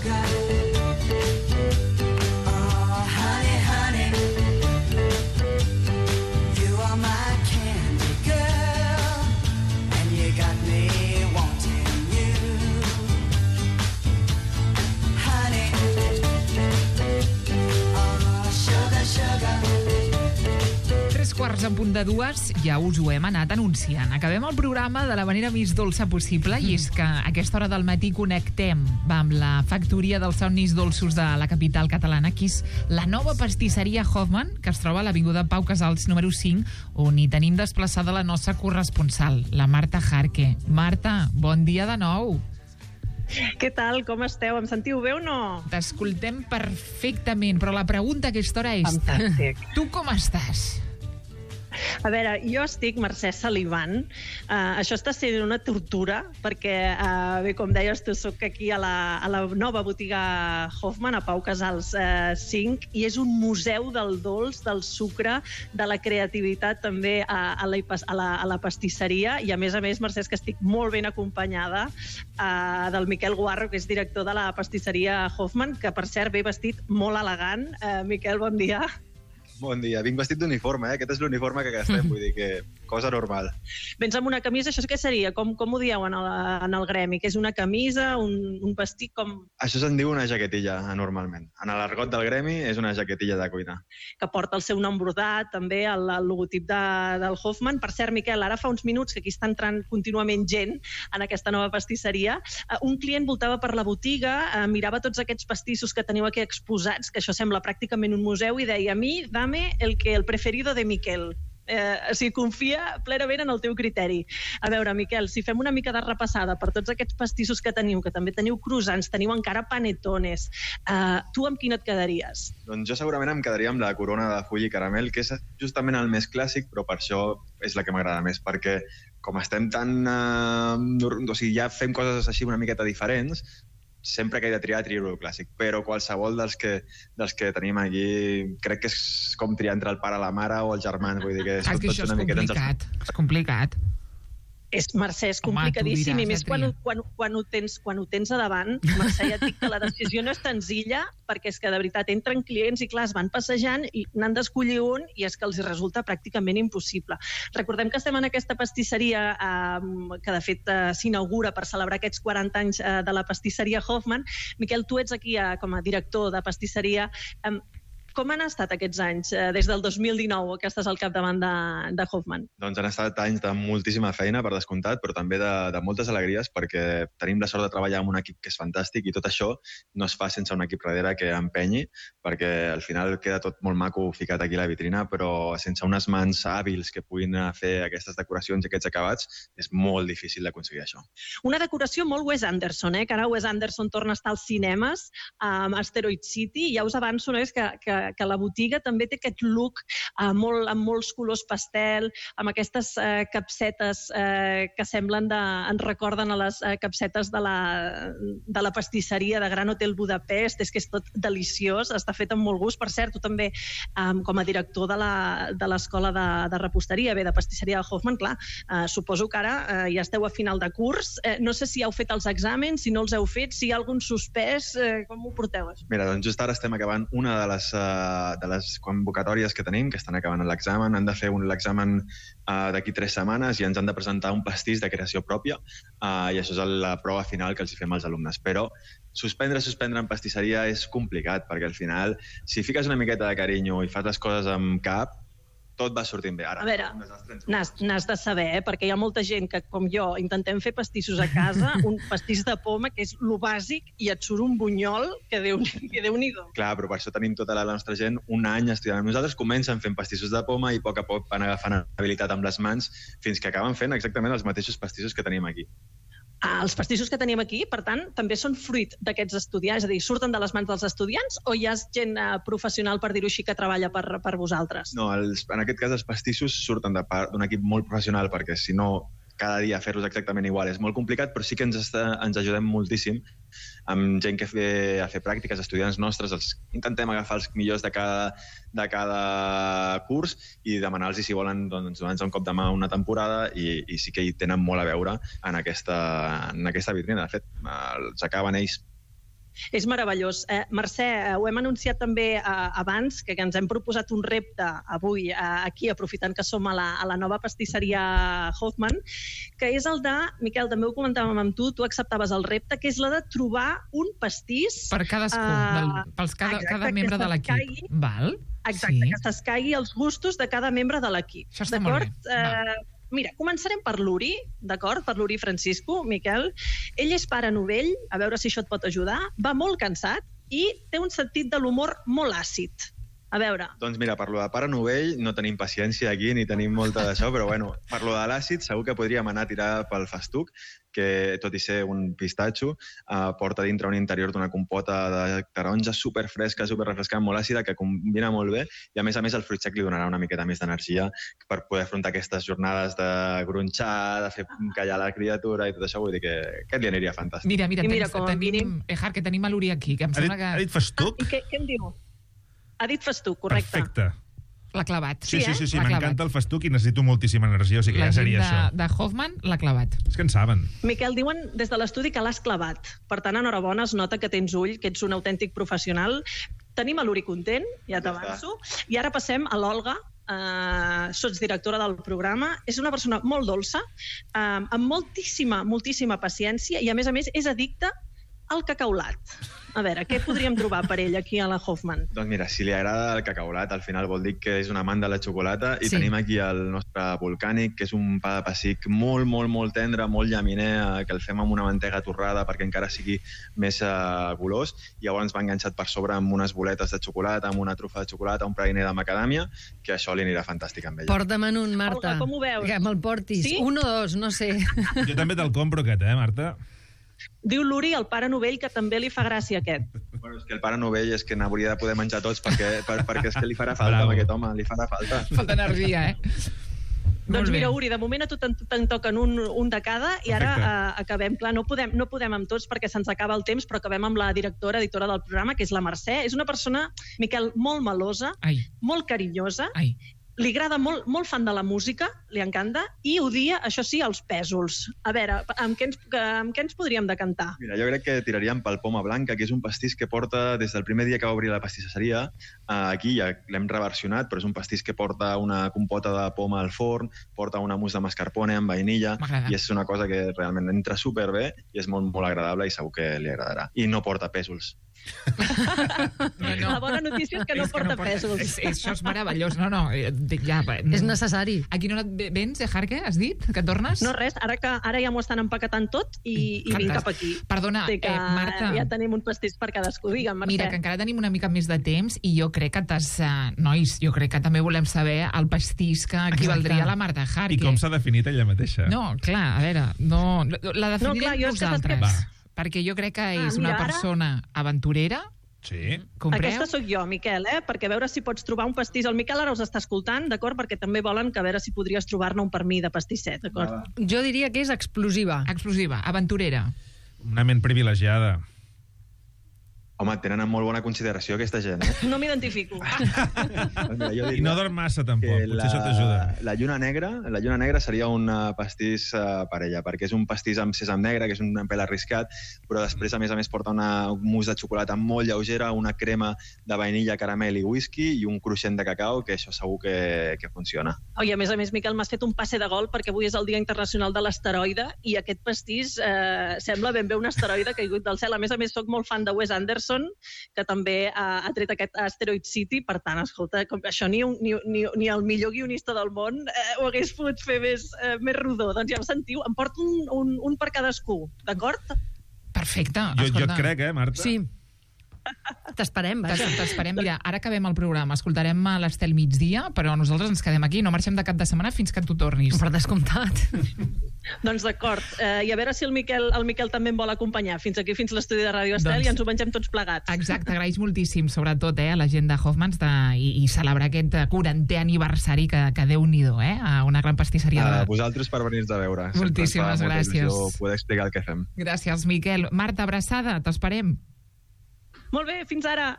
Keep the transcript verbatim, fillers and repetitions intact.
sugar. Oh, honey, honey, you are my candy girl, and you got me wanting you. Honey, oh, sugar, sugar. Tres quarts en punt de dues, ja us ho hem anat anunciant. Acabem el programa de la manera més dolça possible i és que a aquesta hora del matí connectem amb la factoria dels somnis dolços de la capital catalana, que és la nova pastisseria Hoffman, que es troba a l'Avinguda Pau Casals número cinc, on hi tenim desplaçada la nostra corresponsal, la Marta Jarque. Marta, bon dia de nou. Què tal? Com esteu? Em sentiu bé o no? T'escoltem perfectament, però la pregunta a aquesta hora és... Fantàstic. Tu com estàs? A veure, jo estic, Mercè, salivant. Uh, això està sent una tortura, perquè, uh, bé, com deies tu, soc aquí a la, a la nova botiga Hoffman, a Pau Casals uh, cinc, i és un museu del dolç, del sucre, de la creativitat també a, a, la, a, la, a la pastisseria, i a més a més, Mercè, és que estic molt ben acompanyada uh, del Miquel Guarro, que és director de la pastisseria Hoffman, que, per cert, ve vestit molt elegant. Uh, Miquel, bon dia. Bon dia. Vinc vestit d'uniforme, eh? Aquest és l'uniforme que gastem, vull dir que cosa normal. Vens amb una camisa, això què seria? Com, com ho dieu en el, en el gremi? Que és una camisa, un, un vestit com... Això se'n diu una jaquetilla, normalment. En l'argot del gremi és una jaquetilla de cuina. Que porta el seu nom brodat, també el, el logotip de, del Hoffman. Per cert, Miquel, ara fa uns minuts que aquí està entrant contínuament gent en aquesta nova pastisseria. Uh, un client voltava per la botiga, uh, mirava tots aquests pastissos que teniu aquí exposats, que això sembla pràcticament un museu, i deia, a mi, dame el que el preferido de Miquel. Eh, o sigui, confia plenament en el teu criteri. A veure, Miquel, si fem una mica de repassada per tots aquests pastissos que teniu, que també teniu croissants, teniu encara panetones, eh, tu amb quin et quedaries? Doncs jo segurament em quedaria amb la corona de full i caramel, que és justament el més clàssic, però per això és la que m'agrada més, perquè com estem tan... Eh, o sigui, ja fem coses així una miqueta diferents, sempre que he de triar, trio el clàssic, però qualsevol dels que, dels que tenim aquí crec que és com triar entre el pare, la mare o els germans, vull dir que és ah, que tot, això tot és una miqueta... complicat, és complicat. És, Mercè, és complicadíssim. Home, i més quan, quan, quan, ho tens, quan ho tens a davant, Mercè, ja et dic que la decisió no és senzilla, perquè és que de veritat entren clients i clar, es van passejant i n'han d'escollir un i és que els resulta pràcticament impossible. Recordem que estem en aquesta pastisseria eh, que de fet eh, s'inaugura per celebrar aquests quaranta anys eh, de la pastisseria Hoffman. Miquel, tu ets aquí eh, com a director de pastisseria. Eh, Com han estat aquests anys, eh, des del dos mil dinou, que estàs al capdavant de, de Hoffman? Doncs han estat anys de moltíssima feina, per descomptat, però també de, de moltes alegries, perquè tenim la sort de treballar amb un equip que és fantàstic i tot això no es fa sense un equip darrere que empenyi, perquè al final queda tot molt maco ficat aquí a la vitrina, però sense unes mans hàbils que puguin fer aquestes decoracions i aquests acabats, és molt difícil d'aconseguir això. Una decoració molt Wes Anderson, eh? que ara Wes Anderson torna a estar als cinemes, amb Asteroid City, i ja us avanço, no? és que, que que la botiga també té aquest look eh, molt, amb molts colors pastel, amb aquestes eh, capsetes eh, que semblen de, ens recorden a les eh, capsetes de la, de la pastisseria de Gran Hotel Budapest, és que és tot deliciós, està fet amb molt gust. Per cert, tu també, eh, com a director de l'escola de, de reposteria, bé, de pastisseria de Hoffman, clar, eh, suposo que ara eh, ja esteu a final de curs, eh, no sé si heu fet els exàmens, si no els heu fet, si hi ha algun suspès, eh, com ho porteu? Mira, doncs just ara estem acabant una de les uh, de les convocatòries que tenim, que estan acabant l'examen, han de fer un l'examen uh, d'aquí tres setmanes i ens han de presentar un pastís de creació pròpia uh, i això és la prova final que els fem als alumnes. Però suspendre, suspendre en pastisseria és complicat, perquè al final, si fiques una miqueta de carinyo i fas les coses amb cap, tot va sortint bé. Ara, a veure, n'has de saber, eh? perquè hi ha molta gent que, com jo, intentem fer pastissos a casa, un pastís de poma, que és lo bàsic, i et surt un bunyol que Déu-n'hi-do. Clar, però per això tenim tota la nostra gent un any estudiant amb nosaltres, comencen fent pastissos de poma i a poc a poc van agafant habilitat amb les mans fins que acaben fent exactament els mateixos pastissos que tenim aquí. Els pastissos que tenim aquí, per tant, també són fruit d'aquests estudiants, és a dir, surten de les mans dels estudiants o hi ha gent eh, professional, per dir-ho així, que treballa per, per vosaltres? No, els, en aquest cas els pastissos surten d'un equip molt professional, perquè si no cada dia fer-los exactament igual és molt complicat, però sí que ens, està, ens ajudem moltíssim amb gent que ve a fer pràctiques, estudiants nostres, els intentem agafar els millors de cada, de cada curs i demanar-los si volen doncs, donar-nos un cop de mà una temporada i, i sí que hi tenen molt a veure en aquesta, en aquesta vitrina. De fet, els acaben ells És meravellós. Eh, Mercè, eh, ho hem anunciat també eh, abans, que, que ens hem proposat un repte avui eh, aquí, aprofitant que som a la, a la nova pastisseria Hoffman, que és el de, Miquel, també ho comentàvem amb tu, tu acceptaves el repte, que és la de trobar un pastís... Per cadascú, eh, del, pels cada, exacte, cada membre de l'equip. s'escaigui- Val? Exacte, Sí. que s'escaigui els gustos de cada membre de l'equip. Això està molt bé. D'acord? Eh, Mira, començarem per l'Uri, d'acord? Per l'Uri Francisco, Miquel. Ell és pare novell, a veure si això et pot ajudar. Va molt cansat i té un sentit de l'humor molt àcid. A veure, Doncs mira, per lo de pare novell no tenim paciència aquí ni tenim molta d'això, però bueno, per lo de l'àcid segur que podríem anar a tirar pel festuc, que tot i ser un pistatxo, eh, porta dintre un interior d'una compota de taronja superfresca, superrefrescant, molt àcida, que combina molt bé, i a més a més el fruit sec li donarà una miqueta més d'energia per poder afrontar aquestes jornades de gronxar, de fer callar la criatura i tot això, vull dir que aquest li aniria fantàstic. Mira, mira, I mira, tens, com a tenim, mínim- Ejar, que tenim a l'Uri aquí, que em Ha dit, sembla que ha dit festuc? i què, què em diu? Ha dit festuc, correcte. Perfecte. l'ha clavat. Sí, sí, sí, sí L'ha m'encanta clavat. el festuc i necessito moltíssima energia, o sigui que La ja gent seria de, això. de Hoffman l'ha clavat. És que en saben. Miquel, diuen des de l'estudi que l'has clavat. Per tant, enhorabona, es nota que tens ull, que ets un autèntic professional. Tenim a l'Uri content, ja t'avanço. I ara passem a l'Olga, eh, sotsdirectora del programa. És una persona molt dolça, eh, amb moltíssima, moltíssima paciència i, a més a més, és addicta al cacaulat. A veure, què podríem trobar per ell aquí a la Hoffman? Doncs mira, si li agrada el cacaulat, al final vol dir que és un amant de la xocolata, i Sí. tenim aquí el nostre volcànic, que és un pa de pessic molt, molt, molt tendre, molt llaminer, eh, que el fem amb una mantega torrada perquè encara sigui més eh, golós, i llavors va enganxat per sobre amb unes boletes de xocolata, amb una trufa de xocolata, un praliner de macadàmia, que això li anirà fantàstic amb ella. Porta'me'n un, Marta. Olga, com ho veus? Que me'l portis. Sí? Un o dos, no sé. Jo també te'l compro aquest, eh, Marta? Diu l'Uri, el pare novell, que també li fa gràcia aquest. Bueno, és que el pare novell és que n'hauria de poder menjar tots perquè, per, perquè és que li farà falta Bravo. amb aquest home, li farà falta. Falta energia, eh? Molt Doncs bé. mira, Uri, de moment a tu te'n te'n toquen un, un de cada i ara Perfecte. uh, acabem. Clar, no podem, no podem amb tots perquè se'ns acaba el temps, però acabem amb la directora, editora del programa, que és la Mercè. És una persona, Miquel, molt melosa, Ai, molt carinyosa, ai. li agrada molt, molt fan de la música, li encanta, i odia, això sí, els pèsols. A veure, amb què ens, amb què ens podríem decantar? Mira, jo crec que tiraríem pel Poma Blanca, que és un pastís que porta, des del primer dia que va obrir la pastisseria, eh, aquí ja l'hem reversionat, però és un pastís que porta una compota de poma al forn, porta una mousse de mascarpone amb vainilla, M'agrada. i és una cosa que realment entra superbé i és molt, molt agradable i segur que li agradarà. I no porta pèsols. No, no. La bona notícia és que no És porta porta- pèsols. És, és, això és meravellós. No, no, eh, ja... No. És necessari. A quina hora et ve- vens, Ejarque, has dit? Que tornes? No, res, ara, que, ara ja m'ho estan empaquetant tot i, i vinc Fantàstic. cap aquí. Perdona, Sé que eh, Marta. ja tenim un pastís per cadascú. Digue'm, Mercè. Mira, que encara tenim una mica més de temps i jo crec que t'has... Uh, nois, jo crec que també volem saber el pastís que equivaldria a la Marta Jarque. I com s'ha definit ella mateixa. No, clar, a veure, no, la definirem No, clar, jo és que saps nosaltres. què- Perquè jo crec que Ah, és mira, una ara- persona aventurera. Sí. Compreu? Aquesta sóc jo, Miquel, eh? Perquè a veure si pots trobar un pastís. El Miquel ara us està escoltant, d'acord? Perquè també volen que a veure si podries trobar-ne un per mi de pastisset, d'acord? Jo diria que és explosiva. Explosiva, aventurera. Una ment privilegiada. Home, tenen en molt bona consideració aquesta gent, eh? No m'identifico. Doncs mira, jo I diria no dorm massa, tampoc. que Potser això t'ajuda. la lluna negra, la lluna negra seria un uh, pastís uh, per ella, perquè és un pastís amb sèsam negre, que és un pèl arriscat, però després, a més a més, porta una mousse de xocolata molt lleugera, una crema de vainilla, caramel i whisky i un cruixent de cacau, que això segur que, que funciona. Oi, a més a més, Miquel, m'has fet un passe de gol perquè avui és el Dia Internacional de l'Asteroide i aquest pastís eh, sembla ben bé un asteroide caigut del cel. A més a més, sóc molt fan de Wes Anderson, que també eh, ha tret aquest Asteroid City. Per tant, escolta, com això ni, un, ni, ni, ni el millor guionista del món eh, ho hagués pogut fer més, eh, més rodó. Doncs ja ho sentiu, em porto un, un, un per cadascú, d'acord? Perfecte. Jo, jo escolta. et crec, eh, Marta? Sí. T'esperem, vaja. T'es- T'esperem. Mira, ara acabem el programa. Escoltarem a l'Estel migdia, però nosaltres ens quedem aquí. No marxem de cap de setmana fins que tu tornis. Per descomptat. Doncs d'acord. Eh, I a veure si el Miquel, el Miquel també em vol acompanyar fins aquí, fins l'estudi de Ràdio Estel, Doncs- i ens ho mengem tots plegats. Exacte, agraeix moltíssim, sobretot eh, a la gent de Hoffmans de, i, i celebrar aquest quarantè aniversari que, que Déu-n'hi-do, eh, a una gran pastisseria. A De... vosaltres per venir-nos a veure. Sempre Moltíssimes ens fa molta gràcies. il·lusió poder explicar el que fem. Gràcies, Miquel. Marta, abraçada, t'esperem. Molt bé, fins ara.